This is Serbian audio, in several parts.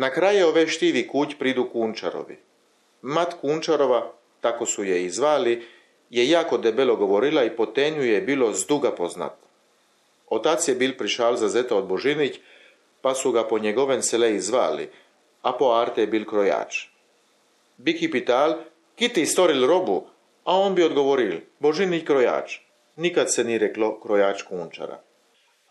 Na kraje ove štivi kuć pridu Kunčarovi. Mat Kunčarova, tako su je i zvali, je jako debelo govorila i po tenju je bilo zduga poznat. Otac je bil prišal za zeta od Božinić, pa su ga po njegoven seleji zvali, a po arte je bil krojač. Biki pital, ki ti storil robu, a on bi odgovoril, Božinić krojač. Nikad se ni reklo krojač Kunčara.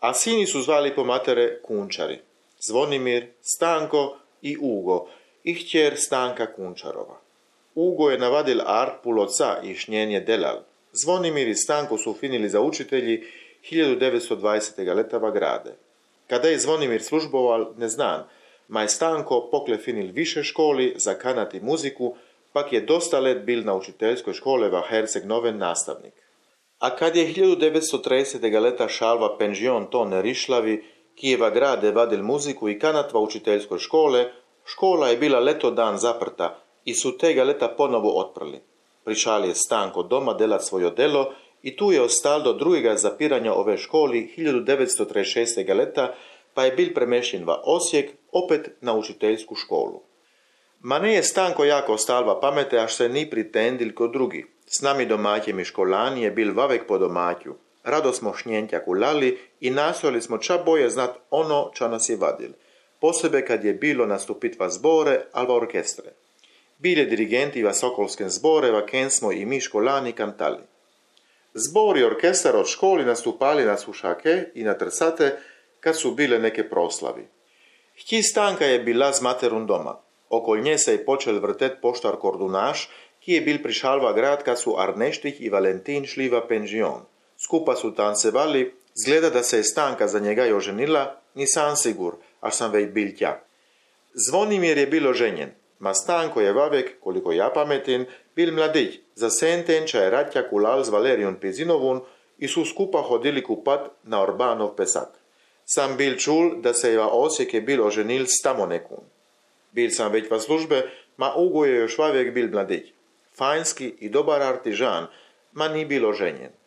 A sini su zvali po matere Kunčari. Zvonimir, Stanko i Ugo, i htjer Stanka Kunčarova. Ugo je navadil art pul oca i šnjenje delal. Zvonimir i Stanko su finili za učitelji 1920. letava grade. Kada je Zvonimir služboval, ne znam, ma je Stanko pokle finil više školi za kanat i muziku, pak je dosta let bil na učiteljskoj škole va Herceg Noven nastavnik. A kad je 1930. leta šalva penžion to nerišlavi, Kijeva grade vadil muziku i kanat va učiteljskoj škole, škola je bila leto dan zaprta i su tega leta ponovo otprli. Prišal je Stanko doma delat svojo delo i tu je ostal do drugega zapiranja ove školi 1936. leta, pa je bil premešten va Osijek, opet na učiteljsku školu. Ma ne je Stanko jako ostal va pamete, až se ni pritendil ko drugi. S nami domaćem i školani je bil vavek po domaću. Rado smo šnjentja kulali i nastojali smo ča boje znat ono ča nas je vadil. Posebe kad je bilo nastupit va zbore, al va orkestre. Bile dirigenti va sokolskem zbore, va ken smo i mi školani kantali. Zbor i orkestar od školi nastupali na sušake i na trsate kad su bile neke proslavi. Htji Stanka je bila z materun doma. Okol nje se je počel vrtet poštar Kordunaš, ki je bil prišal va grad kad su Arneštih i Valentin šli va penžion. Skupa su tancevali, zgleda da se je Stanka za njega i oženila, nisam sigur, až sam već bil tja. Zvonimir je bil oženjen, ma Stanko je vavek, koliko ja pametin, bil mladić, za sentenča je Ratja kulal z Valerijom Pizinovun i su skupa hodili kupat na Orbanov pesak. Sam bil čul da se je va Osijek je bil oženil s tamo nekun. Bil sam već va službe, ma Ugo je još vavek bil mladić. Fajnski i dobar artižan, ma ni bil oženjen.